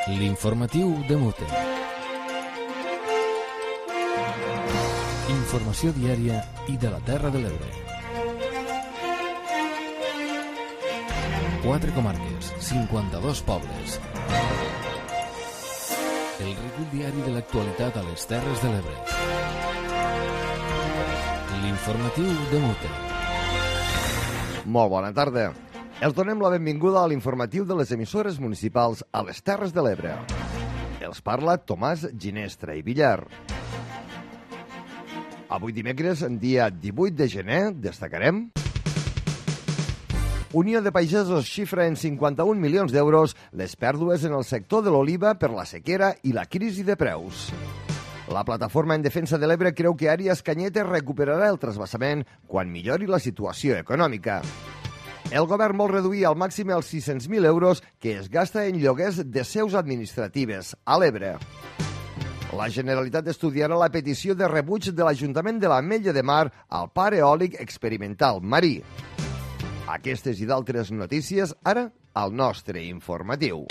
L'informatiu de Mute. Informació diària i de la Terra de l'Ebre. 4 comarques, 52 pobles. El recull diari de l'actualitat a les Terres de l'Ebre. L'informatiu de Mute. Molt bona tarda. Els donem la benvinguda a l'informatiu de les emissores municipals a les Terres de l'Ebre. Els parla Tomàs Ginestra i Villar. Avui dimecres, dia 18 de gener, destacarem: Unió de Pagesos xifra en 51 milions d'euros les pèrdues en el sector de l'oliva per la sequera i la crisi de preus. La Plataforma en Defensa de l'Ebre creu que Àries Canyetes recuperarà el trasbassament quan millori la situació econòmica. El govern vol reduir al màxim els 600.000 euros que es gasta en lloguers de seus administratives a l'Ebre. La Generalitat estudiarà la petició de rebuig de l'Ajuntament de l'Ametlla de Mar al parc eòlic experimental marí. Aquestes i d'altres notícies ara al nostre informatiu.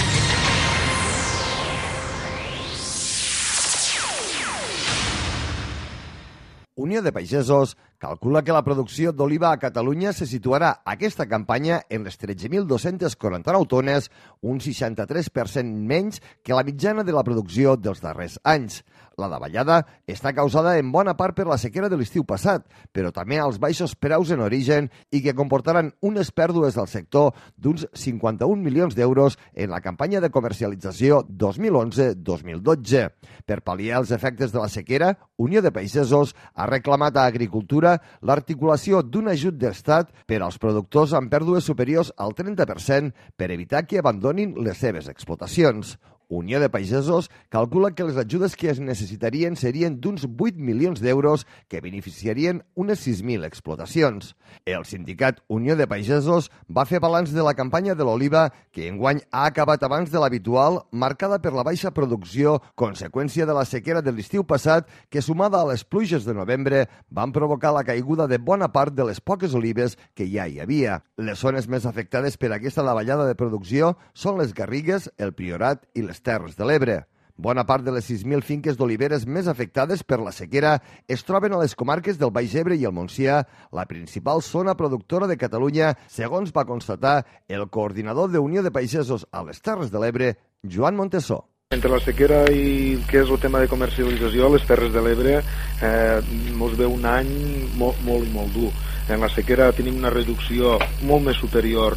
Unió de Pagesos calcula que la producció d'oliva a Catalunya se situarà aquesta campanya en les 13.249 tones, un 63% menys que la mitjana de la producció dels darrers anys. La davallada està causada en bona part per la sequera de l'estiu passat, però també als baixos preus en origen i que comportaran unes pèrdues del sector d'uns 51 milions d'euros en la campanya de comercialització 2011-2012. Per pal·liar els efectes de la sequera, Unió de Pagesos ha reclamat a Agricultura l'articulació d'un ajut d'estat per als productors amb pèrdues superiors al 30% per evitar que abandonin les seves explotacions. Unió de Pagesos calcula que les ajudes que es necessitarien serien d'uns 8 milions d'euros que beneficiarien unes 6.000 explotacions. El sindicat Unió de Pagesos va fer balanç de la campanya de l'oliva, que enguany ha acabat abans de l'habitual, marcada per la baixa producció, conseqüència de la sequera de l'estiu passat, que sumada a les pluges de novembre van provocar la caiguda de bona part de les poques olives que ja hi havia. Les zones més afectades per aquesta davallada de producció són les Garrigues, el Priorat i les Terres de l'Ebre. Bona part de les 6.000 finques d'oliveres més afectades per la sequera es troben a les comarques del Baix Ebre i el Montsià, la principal zona productora de Catalunya, segons va constatar el coordinador de Unió de Pagesos a les Terres de l'Ebre, Joan Montesó. Entre la sequera i el que és el tema de comercialització, les Terres de l'Ebre ens ve un any molt dur. En la sequera tenim una reducció molt més superior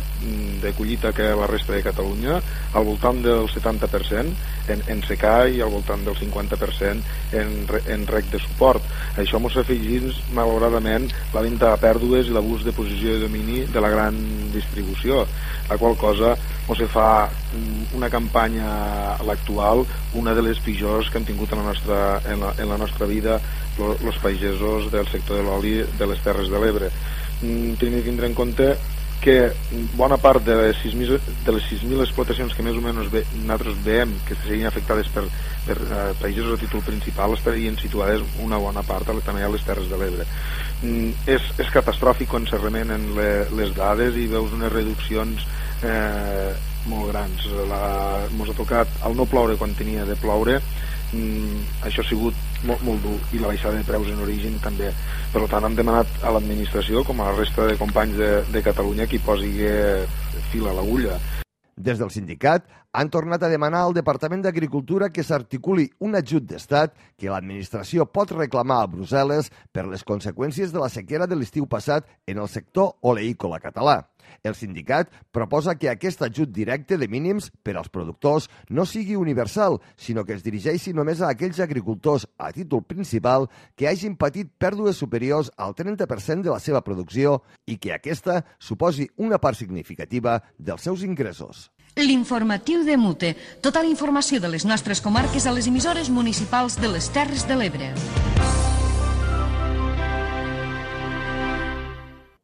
de collita que la resta de Catalunya, al voltant del 70% en secà i al voltant del 50% en rec de suport. Això ens afegeix, malauradament, la venda a pèrdues i l'abús de posició de domini de la gran distribució, la qual cosa ens fa una campanya a l'actual, una de les pitjors que hem tingut en la nostra vida els pagesos del sector de l'oli de les Terres de l'Ebre. Tenim de tindre en compte que bona part de les 6.000 explotacions que més o menys nosaltres veiem que serien afectades per pagesos a títol principal estarien situades una bona part també a les Terres de l'Ebre. És catastròfic quan se remenen les dades i veus unes reduccions molt grans. Ens ha tocat el no ploure quan tenia de ploure. Això ha sigut molt dur, i la baixada de preus en origen també. Per tant, hem demanat a l'administració, com a la resta de companys de Catalunya, que hi posi fil a l'agulla. Des del sindicat han tornat a demanar al Departament d'Agricultura que s'articuli un ajut d'estat que l'administració pot reclamar a Brussel·les per les conseqüències de la sequera de l'estiu passat en el sector oleícola català. El sindicat proposa que aquest ajut directe de mínims per als productors no sigui universal, sinó que es dirigeixi només a aquells agricultors a títol principal que hagin patit pèrdues superiors al 30% de la seva producció i que aquesta suposi una part significativa dels seus ingressos. L'informatiu de Mute. Tota la informació de les nostres comarques a les emissores municipals de les Terres de l'Ebre.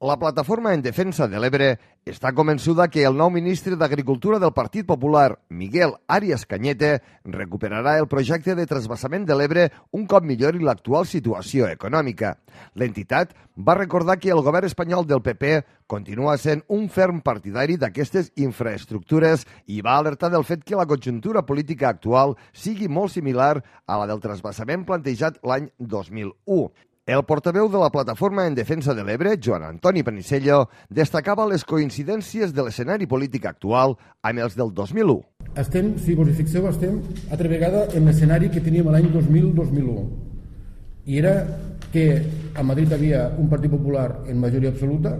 La plataforma en defensa de l'Ebre està convençuda que el nou ministre d'Agricultura del Partit Popular, Miguel Arias Cañete, recuperarà el projecte de trasbassament de l'Ebre un cop millori l'actual situació econòmica. L'entitat va recordar que el govern espanyol del PP continua sent un ferm partidari d'aquestes infraestructures i va alertar del fet que la conjuntura política actual sigui molt similar a la del trasbassament plantejat l'any 2001. El portaveu de la Plataforma en Defensa de l'Ebre, Joan Antoni Panisello, destacava les coincidències de l'escenari polític actual amb els del 2001. Estem, si vos hi fixeu, estem altra vegada en l'escenari que teníem l'any 2000-2001. I era que a Madrid havia un Partit Popular en majoria absoluta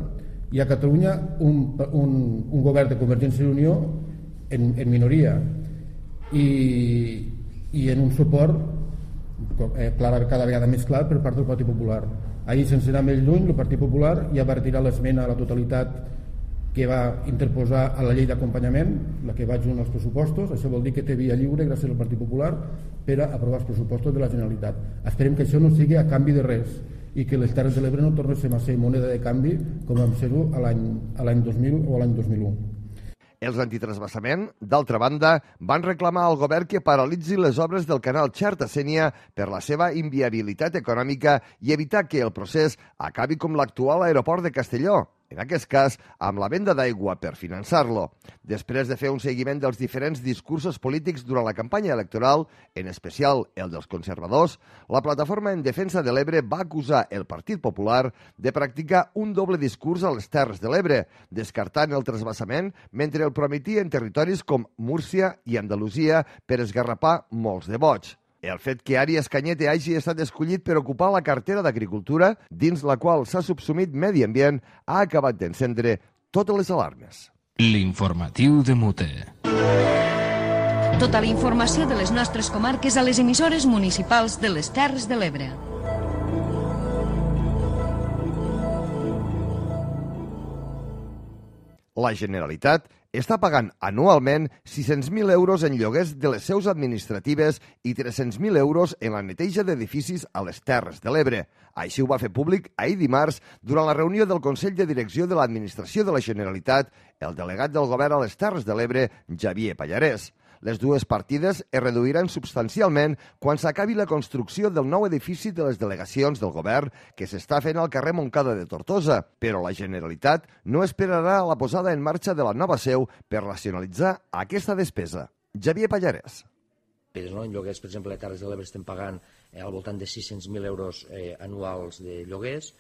i a Catalunya un govern de Convergència i Unió en minoria. I en un suport cada vegada més clar per part del Partit Popular. Ahir, sense anar més lluny, el Partit Popular ja va retirar l'esmena a la totalitat que va interposar a la llei d'acompanyament, la que va junt als pressupostos. Això vol dir que té via lliure gràcies al Partit Popular per a aprovar els pressupostos de la Generalitat. Esperem que això no sigui a canvi de res i que les Terres de l'Ebre no tornessin a ser moneda de canvi com vam ser-ho a l'any 2000 o a l'any 2001. Els antitrasbassament, d'altra banda, van reclamar al govern que paralitzi les obres del canal Xerta-Sénia per la seva inviabilitat econòmica i evitar que el procés acabi com l'actual aeroport de Castelló, en aquest cas amb la venda d'aigua per finançar-lo. Després de fer un seguiment dels diferents discursos polítics durant la campanya electoral, en especial el dels conservadors, la Plataforma en Defensa de l'Ebre va acusar el Partit Popular de practicar un doble discurs a les Terres de l'Ebre, descartant el trasbassament mentre el prometia en territoris com Múrcia i Andalusia per esgarrapar molts de vots. El fet que Arias Cañete hagi estat escollit per ocupar la cartera d'Agricultura, dins la qual s'ha subsumit Medi Ambient, ha acabat d'encendre totes les alarmes. L'informatiu de Mute. Tota la informació de les nostres comarques a les emissores municipals de les Terres de l'Ebre. La Generalitat està pagant anualment 600.000 euros en lloguers de les seus administratives i 300.000 euros en la neteja d'edificis a les Terres de l'Ebre. Així ho va fer públic ahir dimarts durant la reunió del Consell de Direcció de l'Administració de la Generalitat el delegat del govern a les Terres de l'Ebre, Xavier Pallarès. Les dues partides es reduiran substancialment quan s'acabi la construcció del nou edifici de les delegacions del govern que s'està fent al carrer Montcada de Tortosa, però la Generalitat no esperarà la posada en marxa de la nova seu per racionalitzar aquesta despesa. Xavier Pallarès. En lloguers, per exemple, a Terres de l'Ebre estem pagant al voltant de 600.000 euros anuals de lloguers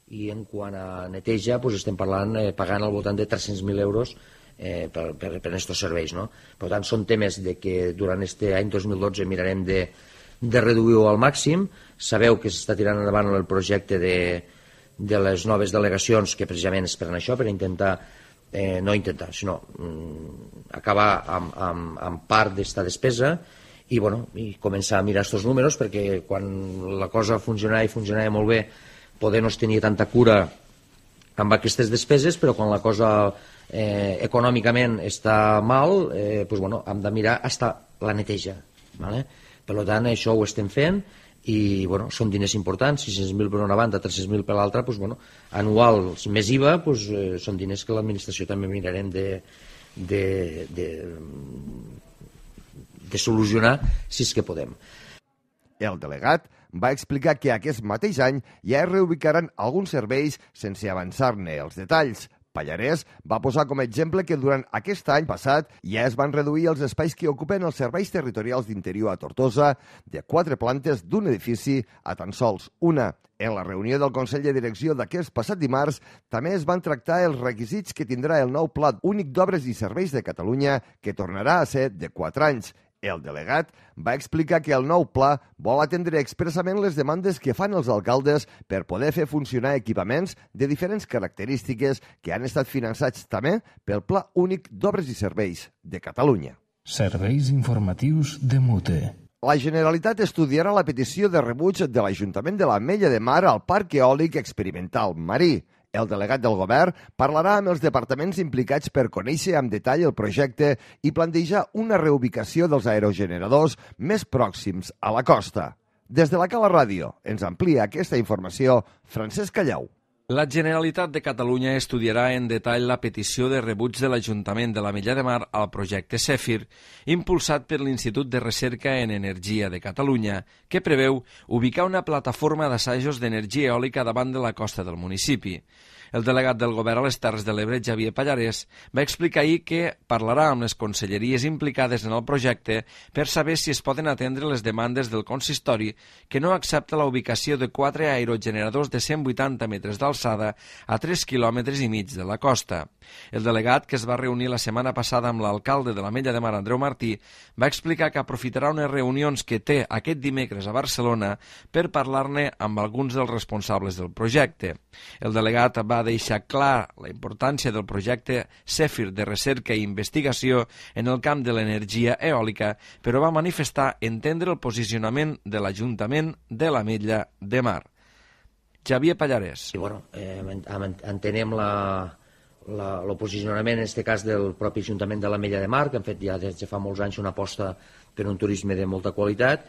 i en quant a neteja estem pagant al voltant de 300.000 euros per aquests serveis, no? Per tant, són temes de que durant aquest any 2012 mirarem de reduir-ho al màxim. Sabeu que s'està tirant endavant el projecte de les noves delegacions, que precisament és per això, per intentar sinó acabar amb part d'esta despesa i començar a mirar aquests números, perquè quan la cosa funcionava molt bé, poder no es tenia tanta cura amb aquestes despeses, però quan la cosa econòmicament està mal, hem de mirar fins la neteja. Per tant, això ho estem fent i són diners importants, 600.000 per una banda, 300.000 per l'altra, anuals més IVA, són diners que l'administració també mirarem de solucionar si és que podem. El delegat va explicar que aquest mateix any ja es reubicaran alguns serveis sense avançar-ne els detalls. Pallarès va posar com a exemple que durant aquest any passat ja es van reduir els espais que ocupen els serveis territorials d'interior a Tortosa de 4 plantes d'un edifici a tan sols una. En la reunió del Consell de Direcció d'aquest passat dimarts també es van tractar els requisits que tindrà el nou Pla Únic d'Obres i Serveis de Catalunya, que tornarà a ser de 4 anys. El delegat va explicar que el nou pla vol atendre expressament les demandes que fan els alcaldes per poder fer funcionar equipaments de diferents característiques que han estat finançats també pel Pla Únic d'Obres i Serveis de Catalunya. Serveis informatius de Mute. La Generalitat estudiarà la petició de rebuig de l'Ajuntament de l'Ametlla de Mar al Parc Eòlic Experimental Marí. El delegat del govern parlarà amb els departaments implicats per conèixer amb detall el projecte i plantejar una reubicació dels aerogeneradors més pròxims a la costa. Des de la Cala Ràdio ens amplia aquesta informació Francesc Callau. La Generalitat de Catalunya estudiarà en detall la petició de rebuig de l'Ajuntament de l'Ametlla de Mar al projecte Zèfir, impulsat per l'Institut de Recerca en Energia de Catalunya, que preveu ubicar una plataforma d'assajos d'energia eòlica davant de la costa del municipi. El delegat del Govern a les Terres de l'Ebre, Xavier Pallarès, va explicar ahir que parlarà amb les conselleries implicades en el projecte per saber si es poden atendre les demandes del consistori, que no accepta la ubicació de 4 aerogeneradors de 180 metres d'alçada a 3,5 quilòmetres de la costa. El delegat, que es va reunir la setmana passada amb l'alcalde de l'Ametlla de Mar, Andreu Martí, va explicar que aprofitarà unes reunions que té aquest dimecres a Barcelona per parlar-ne amb alguns dels responsables del projecte. El delegat va deixar clar la importància del projecte Zèfir de recerca i investigació en el camp de l'energia eòlica, però va manifestar entendre el posicionament de l'Ajuntament de l'Ametlla de Mar. Xavier Pallarès. Entenem el posicionament, en aquest cas, del propi Ajuntament de l'Ametlla de Mar, que han fet ja des de fa molts anys una aposta per un turisme de molta qualitat,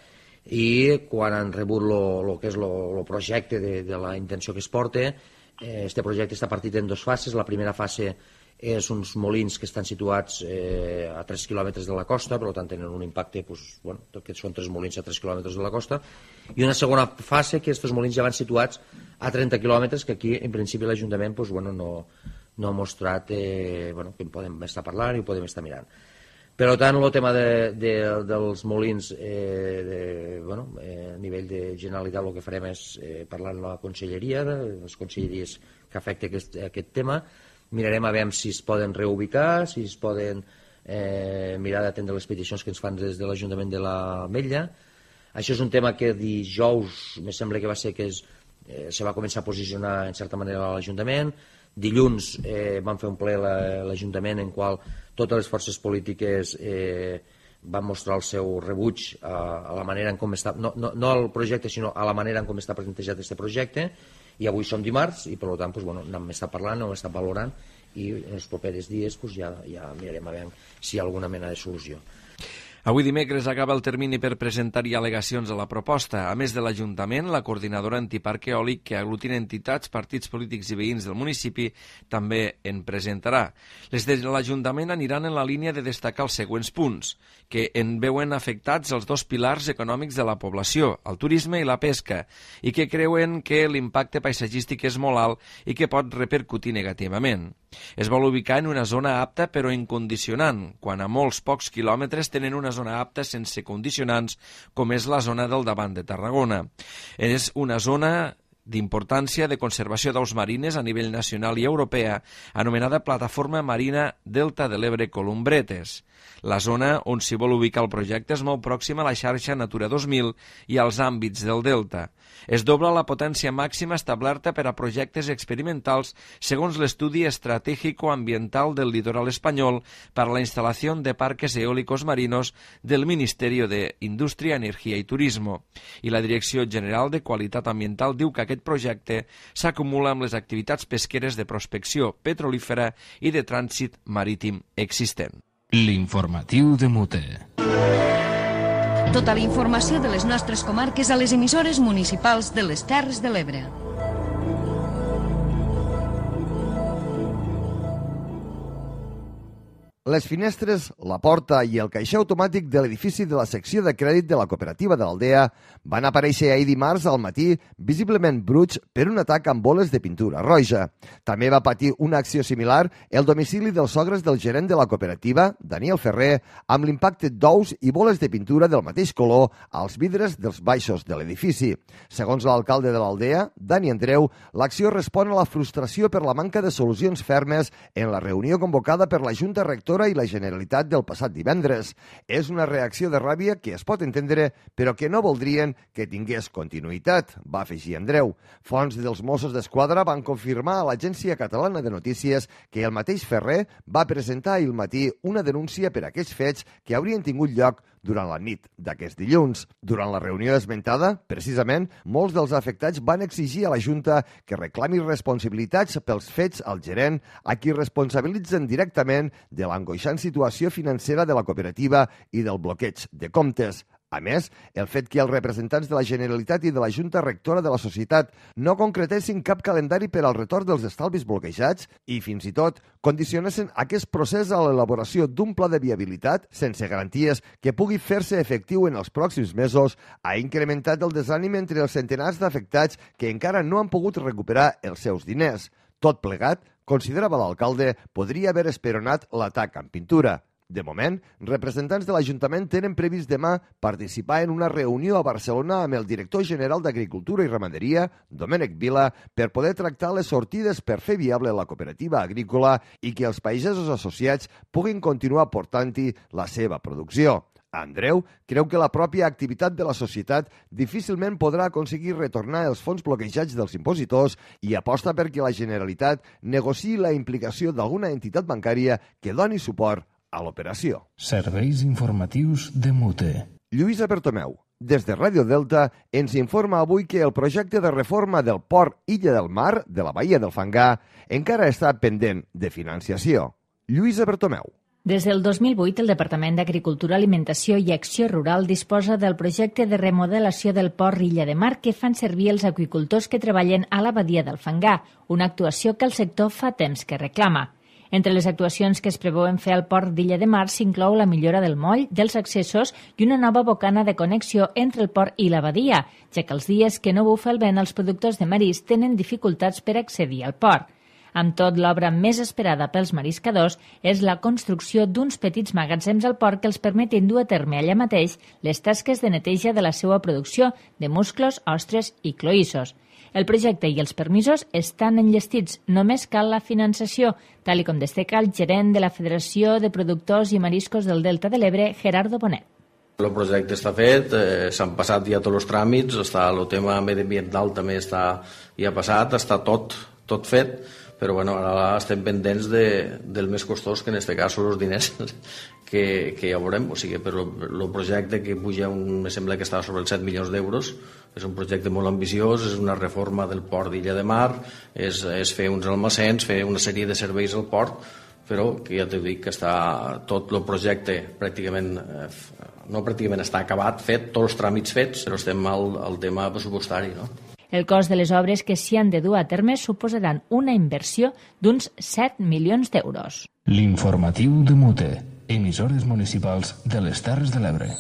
i quan han rebut el que és el projecte de la intenció que es porta, este projecte està partit en 2 fases. La primera fase és uns molins que estan situats a 3 quilòmetres de la costa, per tant tenen un impacte, que són 3 molins a 3 quilòmetres de la costa, i una segona fase que aquests molins ja van situats a 30 quilòmetres, que aquí en principi l'Ajuntament no ha mostrat que en podem estar parlant i ho podem estar mirant. Per tant, el tema dels molins, a nivell de Generalitat, el que farem és parlar amb la conselleria, les conselleries que afecta aquest tema. Mirarem a veure si es poden reubicar, si es poden mirar d'atendre les peticions que ens fan des de l'Ajuntament de l'Ametlla. Això és un tema que dijous, me sembla que va ser que se va començar a posicionar en certa manera a l'Ajuntament. Dilluns van fer un ple a l'Ajuntament en qual totes les forces polítiques van mostrar el seu rebuig a la manera en com està, no al projecte, sinó a la manera en com està plantejat aquest projecte, i avui som dimarts i per tant n'hem estat parlant, n'hem estat valorant, i en els propers dies ja mirarem a veure si hi ha alguna mena de solució. Avui dimecres acaba el termini per presentar-hi al·legacions a la proposta. A més de l'Ajuntament, la coordinadora antiparc eòlic, que aglutina entitats, partits polítics i veïns del municipi, també en presentarà. Les de l'Ajuntament aniran en la línia de destacar els següents punts, que en veuen afectats els 2 pilars econòmics de la població, el turisme i la pesca, i que creuen que l'impacte paisatgístic és molt alt i que pot repercutir negativament. Es vol ubicar en una zona apta però incondicionant, quan a molts pocs quilòmetres tenen una zona apta sense condicionants, com és la zona del Davant de Tarragona. És una zona d'importància de conservació d'aus marines a nivell nacional i europea, anomenada Plataforma Marina Delta de l'Ebre Columbretes. La zona on s'hi vol ubicar el projecte és molt pròxima a la xarxa Natura 2000 i als àmbits del delta. Es dobla la potència màxima establerta per a projectes experimentals segons l'estudi estratégico-ambiental del litoral espanyol per a la instal·lació de parques eòlicos marinos del Ministerio de Indústria, Energia i Turismo. I la Direcció General de Qualitat Ambiental diu que aquest projecte s'acumula amb les activitats pesqueres de prospecció petrolífera i de trànsit marítim existent. L'informatiu de Mute. Tota la informació de les nostres comarques a les emissores municipals de les Terres de l'Ebre. Les finestres, la porta i el caixer automàtic de l'edifici de la secció de crèdit de la cooperativa de l'Aldea van aparèixer ahir dimarts al matí visiblement bruts per un atac amb boles de pintura roja. També va patir una acció similar el domicili dels sogres del gerent de la cooperativa, Daniel Ferrer, amb l'impacte d'ous i boles de pintura del mateix color als vidres dels baixos de l'edifici. Segons l'alcalde de l'Aldea, Dani Andreu, l'acció respon a la frustració per la manca de solucions fermes en la reunió convocada per la Junta Rectora i la Generalitat del passat divendres. És una reacció de ràbia que es pot entendre, però que no voldrien que tingués continuïtat, va afegir Andreu. Fonts dels Mossos d'Esquadra van confirmar a l'Agència Catalana de Notícies que el mateix Ferrer va presentar ahir al matí una denúncia per aquests fets que haurien tingut lloc durant la nit d'aquest dilluns. Durant la reunió esmentada, precisament, molts dels afectats van exigir a la Junta que reclami responsabilitats pels fets al gerent, a qui responsabilitzen directament de l'angoixant situació financera de la cooperativa i del bloqueig de comptes. A més, el fet que els representants de la Generalitat i de la Junta Rectora de la Societat no concretessin cap calendari per al retorn dels estalvis bloquejats i, fins i tot, condicionessin aquest procés a l'elaboració d'un pla de viabilitat sense garanties que pugui fer-se efectiu en els pròxims mesos, ha incrementat el desànim entre els centenars d'afectats que encara no han pogut recuperar els seus diners. Tot plegat, considerava l'alcalde, podria haver esperonat l'atac amb pintura. De moment, representants de l'Ajuntament tenen previst demà participar en una reunió a Barcelona amb el director general d'Agricultura i Ramaderia, Domènec Vila, per poder tractar les sortides per fer viable la cooperativa agrícola i que els pagesos associats puguin continuar portant-hi la seva producció. Andreu creu que la pròpia activitat de la societat difícilment podrà aconseguir retornar els fons bloquejats dels impositors i aposta perquè la Generalitat negociï la implicació d'alguna entitat bancària que doni suport a l'operació. Serveis informatius de Mute. Lluïsa Bertomeu, des de Ràdio Delta, ens informa avui que el projecte de reforma del port Illa del Mar de la Baia del Fangar encara està pendent de financiació. Lluïsa Bertomeu. Des del 2008, el Departament d'Agricultura, Alimentació i Acció Rural disposa del projecte de remodelació del port Illa de Mar que fan servir els aqüicultors que treballen a la Badia del Fangar, una actuació que el sector fa temps que reclama. Entre les actuacions que es preveuen fer al port d'Illa de Mar s'inclou la millora del moll, dels accessos i una nova bocana de connexió entre el port i la badia, ja que els dies que no bufa el vent els productors de marisc tenen dificultats per accedir al port. Amb tot, l'obra més esperada pels mariscadors és la construcció d'uns petits magatzems al port que els permetin dur a terme allà mateix les tasques de neteja de la seva producció de musclos, ostres i cloïssos. El projecte i els permisos estan enllestits, només cal la finançació, tal com destaca el gerent de la Federació de Productors i Mariscos del Delta de l'Ebre, Gerardo Bonet. El projecte està fet, s'han passat ja tots els tràmits, el tema mediambiental també ja passat, està tot fet, però bueno, ara estem pendents del més costós, que en aquest cas són els diners que ja veurem. O sigui, però el projecte que puja, me sembla que està sobre els 7 milions d'euros, és un projecte molt ambiciós, és una reforma del port d'Illa de Mar, és fer uns almacens, fer una sèrie de serveis al port, però que ja t'ho dic que està tot el projecte pràcticament, no pràcticament està acabat, fet, tots els tràmits fets, però estem al tema pressupostari, no? El cost de les obres que s'hi han de dur a terme suposaran una inversió d'uns 7 milions d'euros. L'informatiu de Mute, emissores municipals de les Terres de l'Ebre.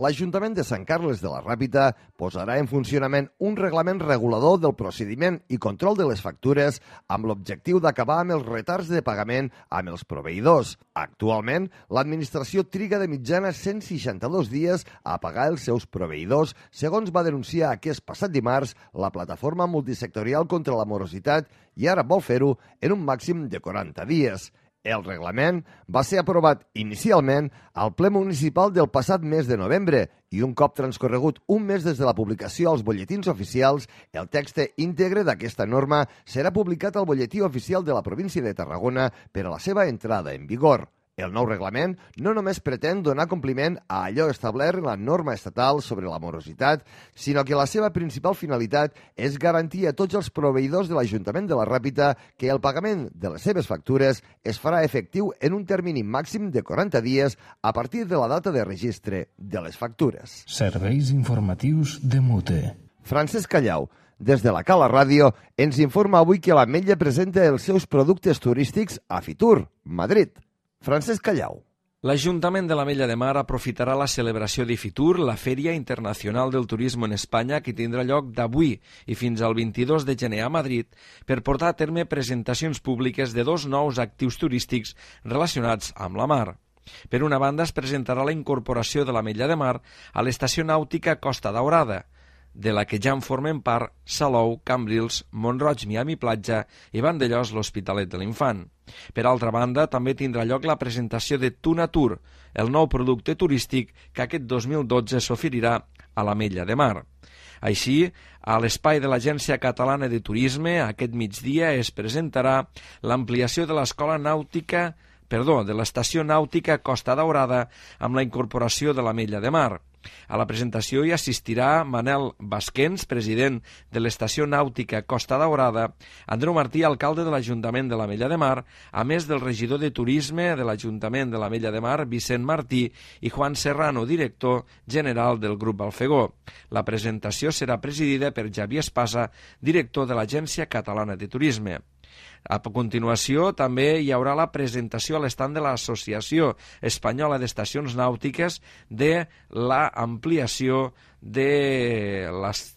L'Ajuntament de Sant Carles de la Ràpita posarà en funcionament un reglament regulador del procediment i control de les factures amb l'objectiu d'acabar amb els retards de pagament amb els proveïdors. Actualment, l'administració triga de mitjana 162 dies a pagar els seus proveïdors, segons va denunciar aquest passat dimarts la plataforma multisectorial contra la morositat i ara vol fer-ho en un màxim de 40 dies. El reglament va ser aprovat inicialment al ple municipal del passat mes de novembre i un cop transcorregut un mes des de la publicació als butlletins oficials, el text íntegre d'aquesta norma serà publicat al butlletí oficial de la província de Tarragona per a la seva entrada en vigor. El nou reglament no només pretén donar compliment a allò establert en la norma estatal sobre la morositat, sinó que la seva principal finalitat és garantir a tots els proveïdors de l'Ajuntament de la Ràpita que el pagament de les seves factures es farà efectiu en un termini màxim de 40 dies a partir de la data de registre de les factures. Serveis informatius de Mute. Francesc Callau, des de la Cala Ràdio, ens informa avui que l'Ametlla presenta els seus productes turístics a Fitur, Madrid. Francesc Callau. L'Ajuntament de l'Ametlla de Mar aprofitarà la celebració d'Ifitur, la Fèria Internacional del Turisme en Espanya, que tindrà lloc d'avui i fins al 22 de gener a Madrid, per portar a terme presentacions públiques de 2 nous actius turístics relacionats amb la mar. Per una banda, es presentarà la incorporació de l'Ametlla de Mar a l'estació nàutica Costa Daurada, de la que ja en formen part Salou, Cambrils, Mont-roig, Miami Platja i Vandellós, l'Hospitalet de l'Infant. Per altra banda, també tindrà lloc la presentació de Tunatur, el nou producte turístic que aquest 2012 s'oferirà a l'Ametlla de Mar. Així, a l'espai de l'Agència Catalana de Turisme, aquest migdia es presentarà l'ampliació de l'Escola Nàutica de l'estació nàutica Costa Daurada amb la incorporació de l'Ametlla de Mar. A la presentació hi assistirà Manel Basquens, president de l'Estació Nàutica Costa Daurada, Andreu Martí, alcalde de l'Ajuntament de l'Ametlla de Mar, a més del regidor de Turisme de l'Ajuntament de l'Ametlla de Mar, Vicent Martí, i Juan Serrano, director general del Grup Balfegó. La presentació serà presidida per Xavier Espasa, director de l'Agència Catalana de Turisme. A continuació, també hi haurà la presentació a l'estand de l'Associació Espanyola d'Estacions Nàutiques de l'ampliació de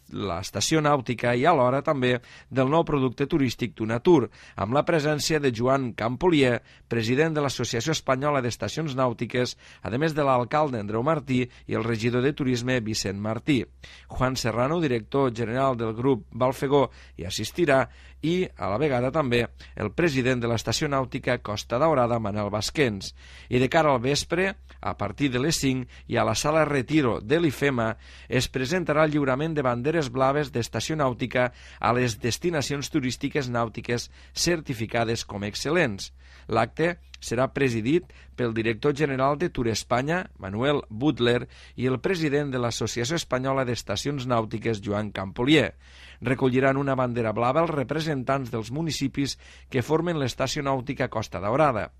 l'estació nàutica i alhora també del nou producte turístic Tunatur, amb la presència de Joan Campolier, president de l'Associació Espanyola d'Estacions Nàutiques, a més de l'alcalde Andreu Martí i el regidor de Turisme Vicent Martí. Juan Serrano, director general del grup Balfegó, hi assistirà, i a la vegada també el president de l'Estació Nàutica Costa Daurada, Manel Basquens. I de cara al vespre, a partir de les 5, i a la sala Retiro de l'IFEMA, es presentarà el lliurament de banderes blaves d'estació nàutica a les destinacions turístiques nàutiques certificades com excel·lents. L'acte serà presidit pel director general de Tour Espanya, Manuel Butler, i el president de l'Associació Espanyola d'Estacions Nàutiques, Joan Campolier. Recolliran una bandera blava els representants dels municipis que formen l'Estació Nàutica Costa Daurada.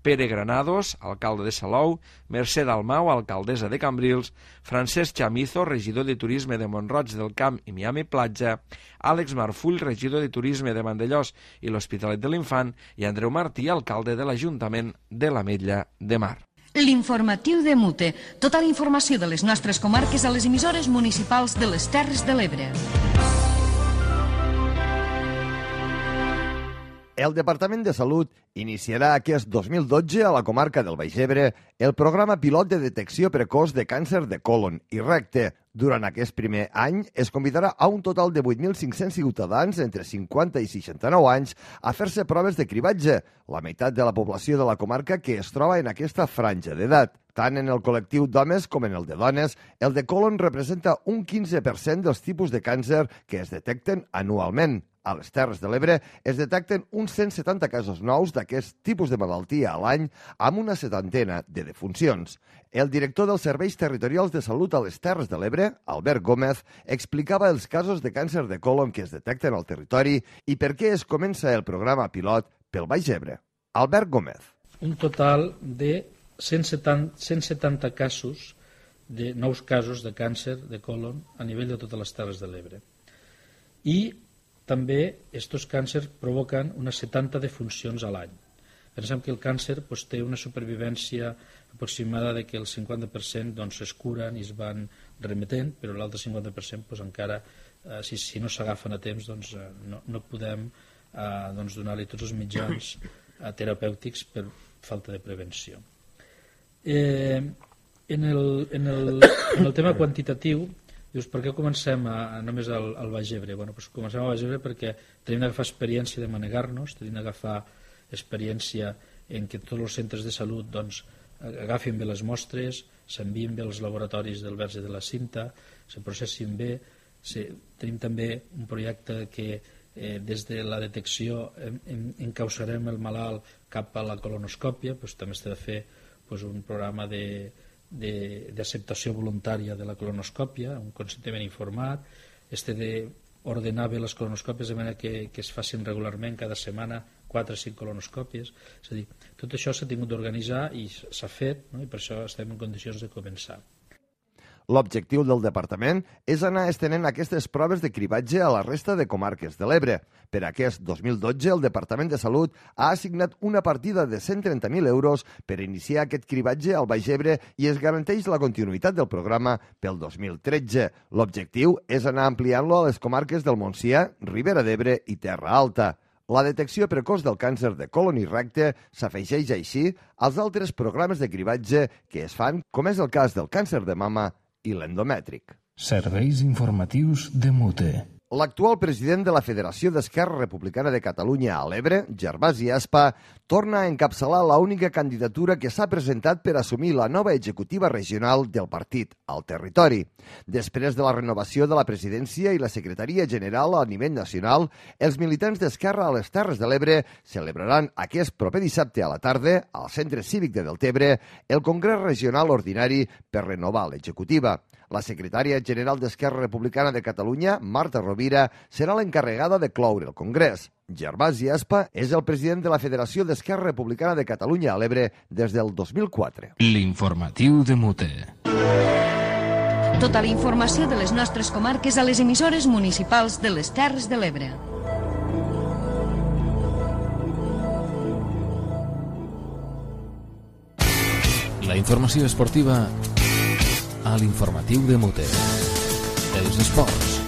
Pere Granados, alcalde de Salou, Mercè Dalmau, alcaldessa de Cambrils, Francesc Chamizo, regidor de Turisme de Mont-roig del Camp i Miami Platja, Àlex Marfull, regidor de Turisme de Vandellòs i l'Hospitalet de l'Infant, i Andreu Martí, alcalde de l'Ajuntament de l'Ametlla de Mar. L'informatiu de Mute. Tota la informació de les nostres comarques a les emissores municipals de les Terres de l'Ebre. El Departament de Salut iniciarà aquest 2012 a la comarca del Baix Ebre el programa pilot de detecció precoç de càncer de còlon i recte. Durant aquest primer any es convidarà a un total de 8.500 ciutadans entre 50 i 69 anys a fer-se proves de cribatge, la meitat de la població de la comarca que es troba en aquesta franja d'edat. Tant en el col·lectiu d'homes com en el de dones, el de còlon representa un 15% dels tipus de càncer que es detecten anualment. A les Terres de l'Ebre es detecten uns 170 casos nous d'aquest tipus de malaltia a l'any, amb una 70 de defuncions. El director dels Serveis Territorials de Salut a les Terres de l'Ebre, Albert Gómez, explicava els casos de càncer de còlon que es detecten al territori i per què es comença el programa pilot pel Baix Ebre. Albert Gómez. Un total de 170 casos, de nous casos de càncer de còlon a nivell de totes les Terres de l'Ebre. I també aquests càncers provoquen unes 70 defuncions a l'any. Pensem que el càncer té una supervivència aproximada de que el 50% es curen i es van remetent, però l'altre 50% encara, si no s'agafen a temps, no podem donar-li tots els mitjans terapèutics per falta de prevenció. En el tema quantitatiu, dius, per què comencem només al Baix Ebre? Comencem al Baix Ebre perquè tenim d'agafar experiència de manegar-nos, tenim d'agafar experiència en què tots els centres de salut agafin bé les mostres, s'envien bé als laboratoris del Verge de la Cinta, se processin bé. Tenim també un projecte que des de la detecció encausarem el malalt cap a la colonoscòpia, també s'ha de fer un programa d'acceptació voluntària de la colonoscòpia, un consentiment informat, d'ordenar bé les colonoscòpies de manera que es facin regularment cada setmana 4 o 5 colonoscòpies. És a dir, tot això s'ha tingut d'organitzar i s'ha fet, i per això estem en condicions de començar. L'objectiu del departament és anar estenent aquestes proves de cribatge a la resta de comarques de l'Ebre. Per aquest 2012, el Departament de Salut ha assignat una partida de 130.000 euros per iniciar aquest cribatge al Baix Ebre i es garanteix la continuïtat del programa pel 2013. L'objectiu és anar ampliant-lo a les comarques del Montsià, Ribera d'Ebre i Terra Alta. La detecció precoç del càncer de còlon i recte s'afegeix així als altres programes de cribatge que es fan, com és el cas del càncer de mama i l'endomètric. Serveis informatius de Mute. L'actual president de la Federació d'Esquerra Republicana de Catalunya a l'Ebre, Gervasi Aspa, torna a encapçalar l'única candidatura que s'ha presentat per assumir la nova executiva regional del partit al territori. Després de la renovació de la presidència i la secretaria general a nivell nacional, els militants d'Esquerra a les Terres de l'Ebre celebraran aquest proper dissabte a la tarda, al Centre Cívic de Deltebre, el Congrés Regional Ordinari per renovar l'executiva. La secretària general d'Esquerra Republicana de Catalunya, Marta Rovira, serà l'encarregada de cloure el Congrés. Gervasi Aspa és el president de la Federació d'Esquerra Republicana de Catalunya a l'Ebre des del 2004. L'informatiu de Mute. Tota la informació de les nostres comarques a les emissores municipals de les Terres de l'Ebre. La informació esportiva a l'informatiu de Mute. Els esports.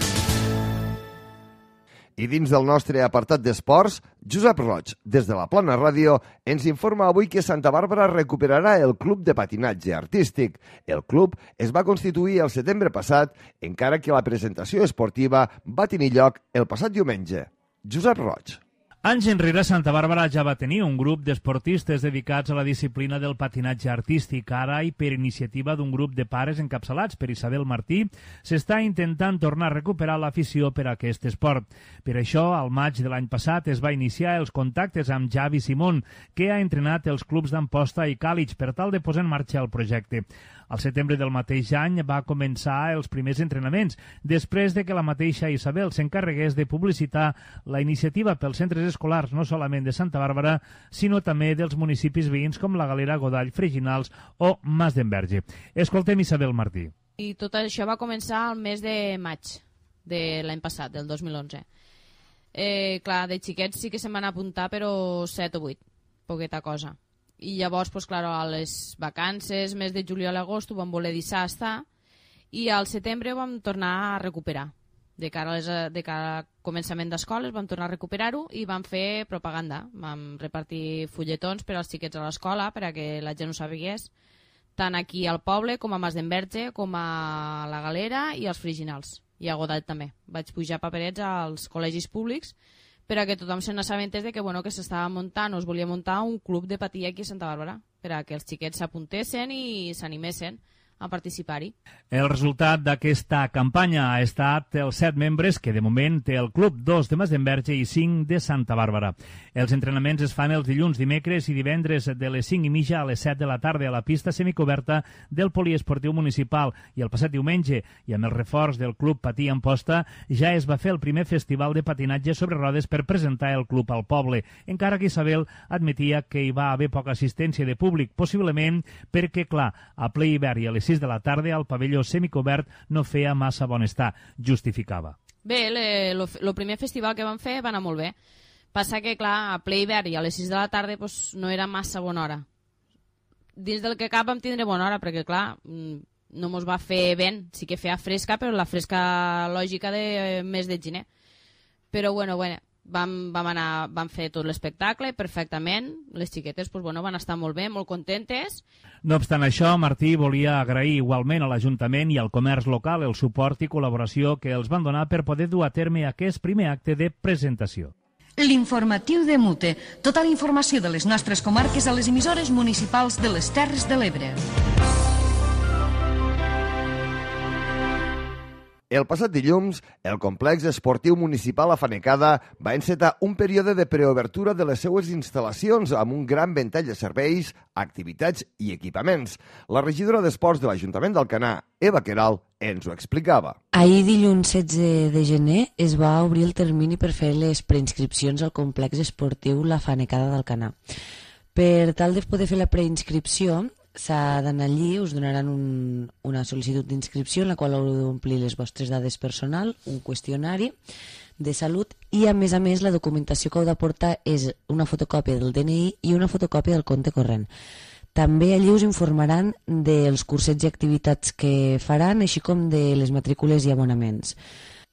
I dins del nostre apartat d'esports, Josep Roig, des de la Plana Ràdio, ens informa avui que Santa Bàrbara recuperarà el Club de Patinatge Artístic. El club es va constituir el setembre passat, encara que la presentació esportiva va tenir lloc el passat diumenge. Josep Roig. Anys enrere, Santa Bàrbara ja va tenir un grup d'esportistes dedicats a la disciplina del patinatge artístic. Ara, i per iniciativa d'un grup de pares encapçalats per Isabel Martí, s'està intentant tornar a recuperar l'afició per a aquest esport. Per això, al maig de l'any passat, es va iniciar els contactes amb Javi Simón, que ha entrenat els clubs d'Amposta i Càlig per tal de posar en marxa el projecte. Al setembre del mateix any va començar els primers entrenaments, després de que la mateixa Isabel s'encarregués de publicitar la iniciativa pels centres escolars no solament de Santa Bàrbara, sinó també dels municipis veïns com la Galera, Godall, Freginals o Mas d'Enverge. Escoltem Isabel Martí. I tot això va començar al mes de maig de l'any passat, del 2011. Clar, de xiquets sí que se'n van apuntar, però 7 o 8, poqueta cosa. I llavors, pues, claro, a les vacances, mes de juliol a agost, ho vam voler deixar estar, i al setembre ho vam tornar a recuperar. De cara al començament d'escoles vam tornar a recuperar-ho i vam fer propaganda. Vam repartir fulletons per als xiquets a l'escola perquè la gent ho sabés, tant aquí al poble com a Mas d'Enverge, com a la Galera i als Freginals. I a Godall també. Vaig pujar paperets als col·legis públics per a que tothom se n'assabentés de que, bueno, que s'estava muntant o es volia muntar un club de patir aquí a Santa Bàrbara, per a que els xiquets s'apuntessin i s'animessin a participar-hi. El resultat d'aquesta campanya ha estat els 7 membres que de moment té el club, 2 de Mas d'Enverge i 5 de Santa Bàrbara. Els entrenaments es fan els dilluns, dimecres i divendres de les 5:30 a les 7 de la tarda a la pista semicoberta del poliesportiu municipal, i el passat diumenge, i amb el reforç del club Patí Amposta, ja es va fer el primer festival de patinatge sobre rodes per presentar el club al poble, encara que Isabel admetia que hi va haver poca assistència de públic, possiblement perquè, clar, a ple hivern i a les 6 de la tarda al pavelló semicobert no feia massa bon estar, justificava. Bé, el primer festival que vam fer va anar molt bé. Passa que, clar, a ple hivern i a les 6 de la tarda pues, no era massa bona hora. Dins del que cap vam tindre bona hora, perquè, clar, no mos va fer vent. Sí que feia fresca, però la fresca lògica de mes de gener. Però, bueno, vam fer tot l'espectacle perfectament. Les xiquetes pues, van estar molt bé, molt contentes. No obstant això, Martí volia agrair igualment a l'Ajuntament i al comerç local el suport i col·laboració que els van donar per poder dur a terme aquest primer acte de presentació. L'informatiu de Mute. Tota la informació de les nostres comarques a les emissores municipals de les Terres de l'Ebre. El passat dilluns, el complex esportiu municipal Afanecada va encetar un període de preobertura de les seues instal·lacions amb un gran ventall de serveis, activitats i equipaments. La regidora d'Esports de l'Ajuntament d'Alcanar, Eva Queralt, ens ho explicava. Ahir, dilluns 16 de gener, es va obrir el termini per fer les preinscripcions al complex esportiu La Fanecada d'Alcanar. Per tal de poder fer la preinscripció, s'ha d'anar allí, us donaran una sol·licitud d'inscripció en la qual haureu d'omplir les vostres dades personal, un qüestionari de salut i, a més, la documentació que heu d'aportar és una fotocòpia del DNI i una fotocòpia del compte corrent. També allí us informaran dels cursets i activitats que faran, així com de les matrícules i abonaments.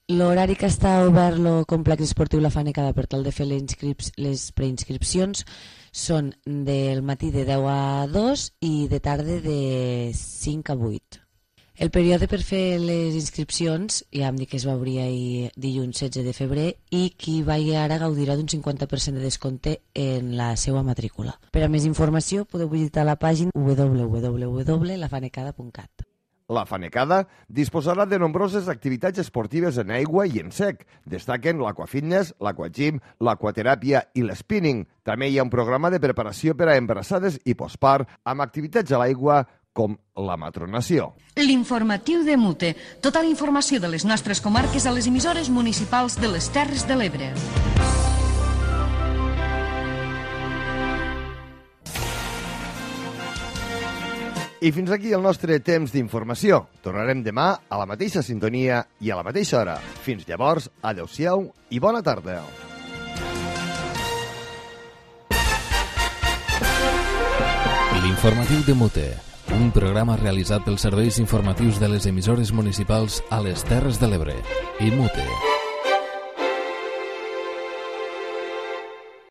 L'horari que està obert el complex esportiu La Fanecada per tal de fer les preinscripcions són del matí de 10 a 2 i de tarda de 5 a 8. El període per fer les inscripcions, ja em dic que es va obrir ahir dilluns 16 de febrer, i qui vagi ara gaudirà d'un 50% de descompte en la seva matrícula. Per a més informació podeu visitar la pàgina www.lafanecada.cat. La Fanecada disposarà de nombroses activitats esportives en aigua i en sec. Destaquen l'aquafitness, l'aquagym, l'aquateràpia i l'spinning. També hi ha un programa de preparació per a embarassades i postpart amb activitats a l'aigua com la matronació. L'informatiu de Mute. Tota la informació de les nostres comarques a les emissores municipals de les Terres de l'Ebre. I fins aquí el nostre temps d'informació. Tornarem demà a la mateixa sintonia i a la mateixa hora. Fins llavors, adeu-siau i bona tarda. L'informatiu de Mute, un programa realitzat pels serveis informatius de les emissores municipals a les Terres de l'Ebre i Mute.